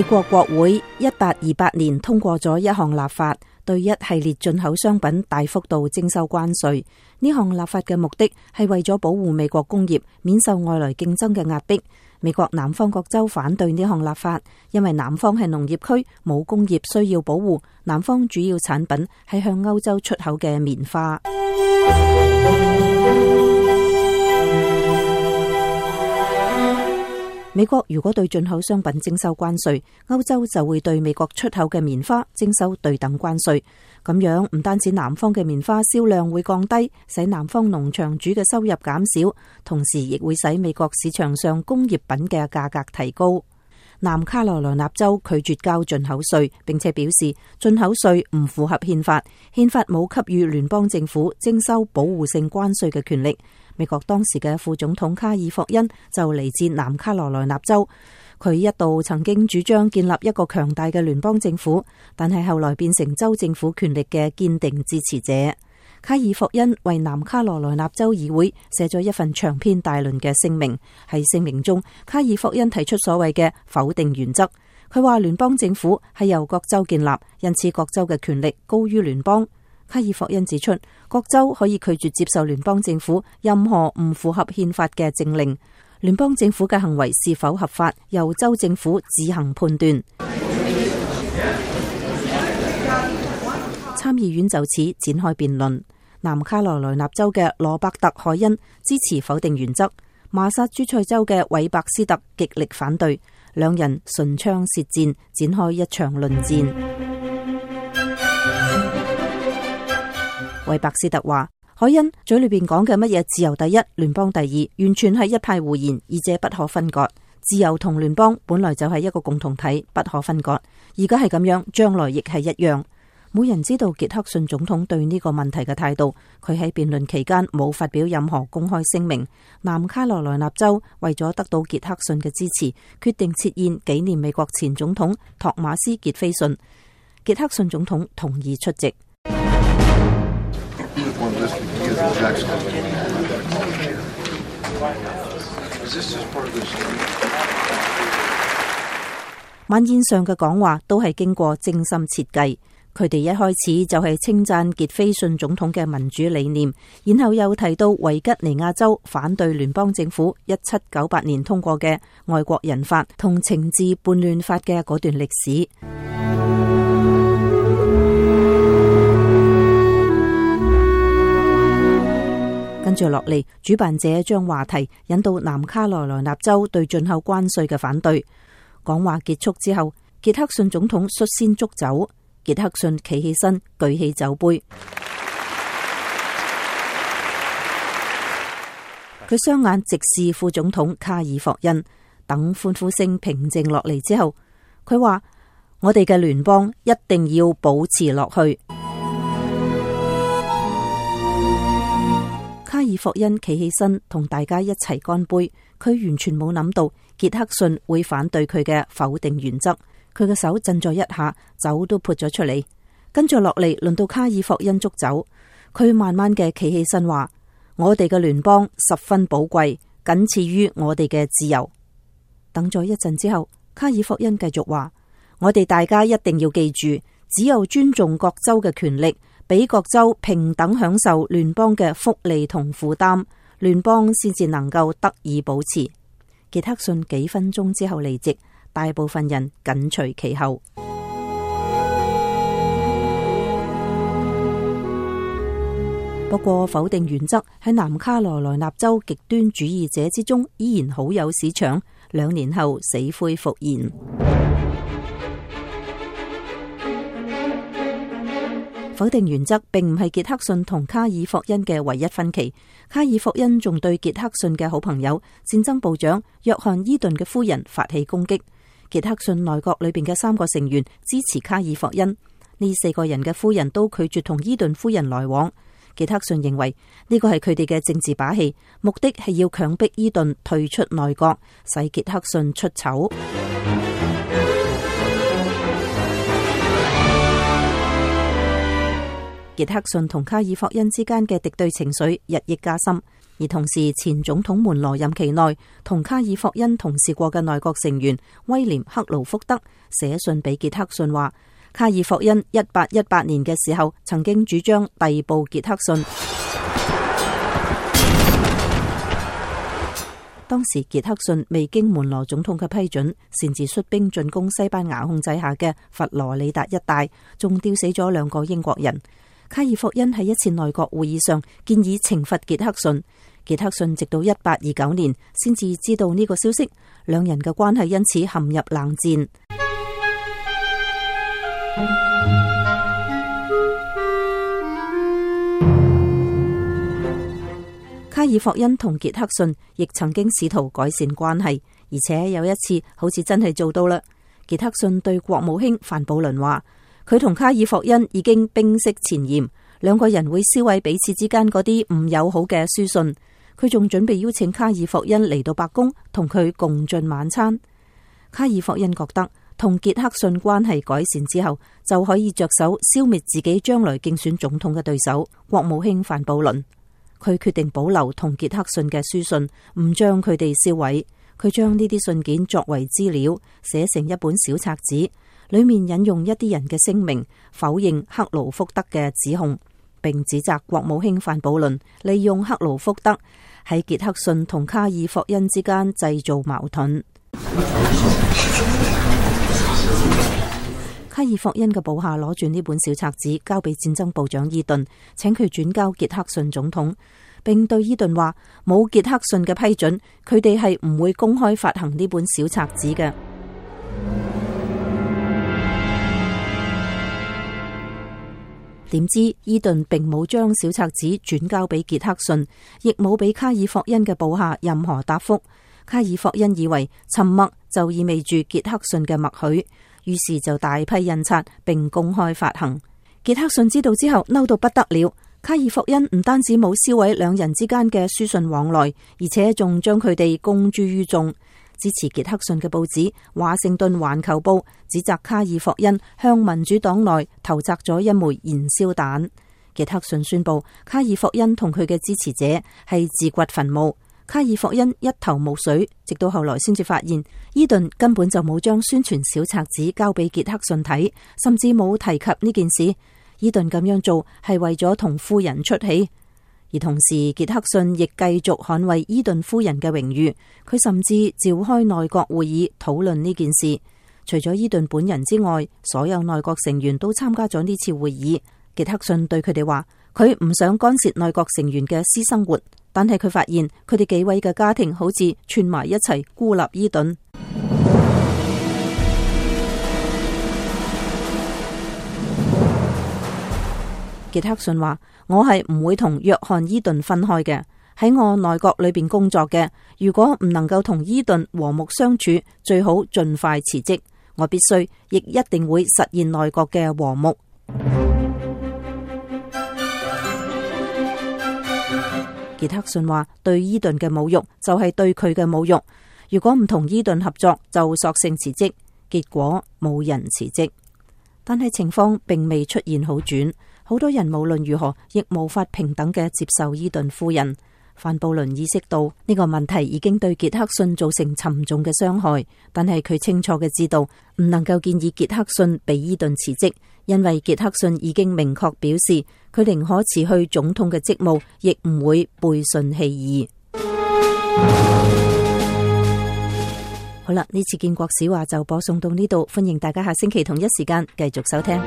美國國會1828年通過咗一項立法，對一系列進口商品大幅度徵收關稅。呢項立法嘅目的係為咗保護美國工業免受外來競爭嘅壓迫。美國南方各州反對呢項立法，因為南方係農業區，冇工業需要保護。南方主要產品係向歐洲出口嘅棉花。美國如果對進口商品徵收關稅，歐洲就會對美國出口嘅棉花徵收對等關稅。咁樣唔單止南方嘅棉花銷量會降低，使南方農場主嘅收入減少，同時亦會使美國市場上工業品嘅價格提高。南卡羅來納州拒絕交進口稅，並且表示進口稅唔符合憲法，憲法冇給予聯邦政府徵收保護性關稅嘅權力。美國當時嘅副總統卡爾霍恩就嚟自南卡羅來納州，佢一度曾經主張建立一個強大嘅聯邦政府，但係後來變成州政府權力嘅堅定支持者。卡爾霍恩為南卡羅來納州議會寫咗一份長篇大論嘅聲明，喺聲明中，卡爾霍恩提出所謂嘅否定原則。佢話聯邦政府係由各州建立，因此各州嘅權力高於聯邦。卡爾霍恩指出，各州可以拒絕接受聯邦政府任何唔符合憲法嘅政令，聯邦政府嘅行為是否合法，由州政府自行判斷。參議院就此展開辯論。南卡羅來納州嘅羅伯特·海恩支持否定原則，麻薩諸塞州嘅韋伯斯特極力反對，兩人唇槍舌戰，展開一場論戰。韋伯斯特話：海恩嘴裏邊講嘅乜嘢自由第一，聯邦第二，完全係一派胡言，二者不可分割。自由同聯邦本來就係一個共同體，不可分割。而家係咁樣，將來亦係一樣。冇人知道傑克遜總統對呢個問題嘅態度。佢喺辯論期間冇發表任何公開聲明。南卡羅來納州為咗得到傑克遜嘅支持，決定設宴紀念美國前總統托馬斯傑斐遜。傑克遜總統同意出席。晚宴上嘅講話都係經過精心設計。佢哋一開始就係稱讚傑斐遜總統嘅民主理念，然後又提到維吉尼亞州反對聯邦政府1798年通過嘅外國人法同懲治叛亂法嘅嗰段歷史。跟住落嚟，主辦者將話題引到南卡羅來納州對進口關稅嘅反對。講話結束之後，傑克遜總統率先祝酒。傑克遜企起身，舉起酒杯，佢雙眼直視副總統卡爾霍恩。等歡呼聲平靜落嚟之後，佢話：我哋嘅聯邦一定要保持落去。卡爾霍恩企起身，同大家一齊乾杯。佢完全冇諗到傑克遜會反對佢嘅否定原則。佢嘅手震咗一下，酒都潑咗出嚟。跟住落嚟，輪到卡爾霍恩祝酒。佢慢慢嘅企起身話：我哋嘅聯邦十分寶貴，僅次於我哋嘅自由。等咗一陣之後，卡爾霍恩繼續話：我哋大家一定要記住，只有尊重各州嘅權力，俾各州平等享受聯邦嘅福利同負擔，聯邦先至能夠得以保持。傑克遜幾分鐘之後離席。大部分人緊隨其後。不過否定原則喺南卡羅來納州極端主義者之中依然好有市場，2年後死灰復燃。否定原則並唔係傑克遜同卡爾霍恩嘅唯一分歧。卡爾霍恩仲對傑克遜嘅好朋友戰爭部長約翰伊頓嘅夫人發起攻擊。傑克遜內閣裏邊嘅3個成員支持卡爾霍恩，呢4個人嘅夫人都拒絕同伊頓夫人來往。傑克遜認為呢個係佢哋嘅政治把戲，目的係要強迫伊頓退出內閣，使傑克遜出醜。傑克遜同卡爾霍恩之間嘅敵對情緒日益加深。而同時，前總統們羅任期內同卡爾霍恩同事過嘅內閣成員威廉克勞福德寫信俾傑克遜話，卡爾霍恩1818年嘅時候曾經主張逮捕傑克遜。當時傑克遜未經門羅總統嘅批准，擅自率兵進攻西班牙控制下嘅佛羅里達一帶，仲吊死咗2個英國人。卡爾霍恩喺一次內閣會議上建議懲罰傑克遜，傑克遜直到1829年先至知道呢個消息，兩人嘅關係因此陷入冷戰。卡爾霍恩同傑克遜亦曾經試圖改善關係，而且有一次好似真係做到啦。傑克遜對國務卿范布倫話，佢同卡爾霍恩已經冰釋前嫌，2個人會銷毀彼此之間嗰啲唔友好嘅書信。佢仲準備邀請卡爾霍恩嚟到白宮同佢共進晚餐。卡爾霍恩覺得同傑克遜關係改善之後，就可以着手消滅自己將來競選總統嘅對手國務卿范布倫。佢決定保留同傑克遜嘅書信，唔將佢哋銷毀。佢將呢啲信件作為資料，寫成一本小冊子，裏面引用一啲人嘅聲明，否認克勞福德嘅指控，並指責國務卿范布倫利用克勞福德喺傑克遜同卡爾霍恩之間製造矛盾。卡爾霍恩嘅部下攞住呢本小冊子交俾戰爭部長伊頓，請佢轉交傑克遜總統，並對伊頓話，冇傑克遜嘅批准，佢哋係唔會公開發行呢本小冊子嘅。點知伊頓並冇將小冊子轉交俾傑克遜，亦冇俾卡爾霍恩嘅部下任何答覆。卡爾霍恩以為沉默就意味住傑克遜嘅默許，於是就大批印刷並公開發行。傑克遜知道之後嬲到不得了。卡爾霍恩唔單止冇銷毀2人之間嘅書信往來，而且仲將佢哋公諸於眾。支持傑克遜嘅報紙《華盛頓環球報》指責卡爾霍恩向民主黨內投擲咗一枚燃燒彈。傑克遜宣布卡爾霍恩同佢嘅支持者係自掘墳墓。卡爾霍恩一頭霧水，直到後來先至發現伊頓根本就冇將宣傳小冊子交俾傑克遜睇，甚至冇提及呢件事。伊頓咁樣做係為咗同夫人出氣，而同時傑克遜亦繼續捍衛伊頓夫人嘅榮譽。佢甚至召開內閣會議討論呢件事。除咗伊頓本人之外，所有內閣成員都參加咗呢次會議。傑克遜對佢哋話，佢唔想干涉內閣成員嘅私生活，但係佢發現佢哋幾位嘅家庭好似串埋一齊孤立伊頓。傑克遜話，我係唔會同約翰伊頓分開嘅，喺我內閣裏邊工作嘅，如果唔能夠同伊頓和睦相處，最好盡快辭職。我必須亦一定會實現內閣嘅和睦。傑克遜話，對伊頓嘅侮辱就係對佢嘅侮辱。如果唔同伊頓合作，就索性辭職。結果冇人辭職，但係情況並未出現好轉。好多人無論如何亦無法平等嘅接受伊頓夫人。范布倫意識到呢個問題已經對傑克遜造成沉重嘅傷害，但係佢清楚嘅知道唔能夠建議傑克遜俾伊頓辭職，因為傑克遜已經明確表示佢寧可辭去總統嘅職務，亦唔會背信棄義。好啦，呢次建國史話就播送到呢度，歡迎大家下星期同一時間繼續收聽。